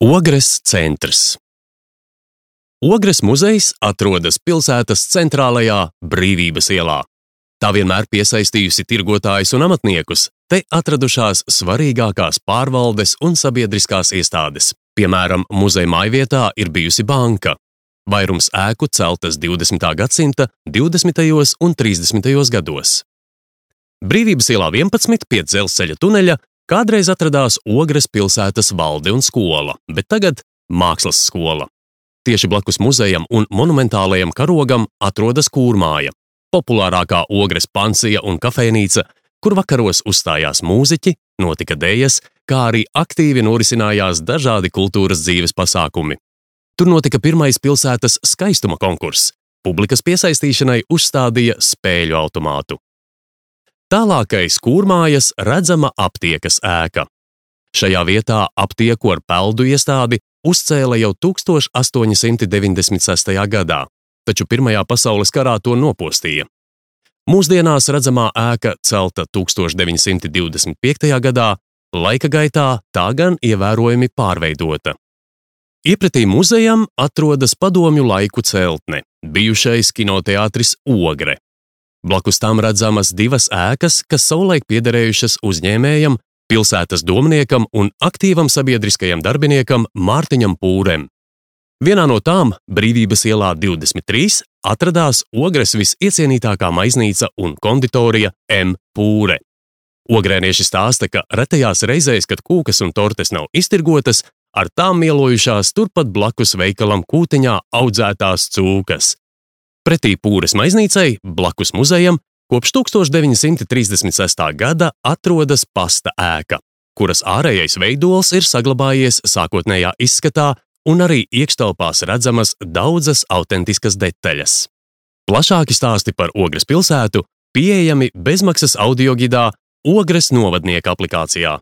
Ogres centrs. Ogres muzejs atrodas pilsētas centrālajā Brīvības ielā. Tā vienmēr piesaistījusi tirgotājus un amatniekus, te atradušās svarīgākās pārvaldes un sabiedriskās iestādes. Piemēram, muzeja mājvietā ir bijusi banka. Vairums ēku celtas 20. gadsimta 20. un 30. gados. Brīvības ielā 11 pie dzelzceļa tuneļa kādreiz atradās Ogres pilsētas valde un skola, bet tagad mākslas skola. Tieši blakus muzejam un monumentālajam karogam atrodas kūrmāja, populārākā Ogres pansija un kafejnīca, kur vakaros uzstājās mūziķi, notika dejas, kā arī aktīvi norisinājās dažādi kultūras dzīves pasākumi. Tur notika pirmais pilsētas skaistuma konkurss. Publikas piesaistīšanai uzstādīja spēļu automātu. Tālākais kūrmājas redzama aptiekas ēka. Šajā vietā aptieku ar peldu iestādi uzcēla jau 1896. gadā, taču Pirmajā pasaules karā to nopostīja. Mūsdienās redzamā ēka celta 1925. gadā, laika gaitā tā gan ievērojami pārveidota. Iepretī muzejam atrodas padomju laiku celtne, bijušais kinoteātris Ogre. Blakus tam redzamas divas ēkas, kas savulaik piederējušas uzņēmējam, pilsētas domniekam un aktīvam sabiedriskajam darbiniekam Mārtiņam Pūrem. Vienā no tām, Brīvības ielā 23, atradās Ogres visiecienītākā maiznīca un konditorija M. Pūre. Ogrēnieši stāsta, ka retajās reizēs, kad kūkas un tortes nav iztirgotas, ar tām mielojušās turpat blakus veikalam Kūtiņā audzētās cūkas. Pretī Pūres maiznīcai, blakus muzejam, kopš 1936. gada atrodas pasta ēka, kuras ārējais veidols ir saglabājies sākotnējā izskatā un arī iekštelpās redzamas daudzas autentiskas detaļas. Plašāki stāsti par Ogres pilsētu pieejami bezmaksas audiogidā Ogres novadnieka aplikācijā.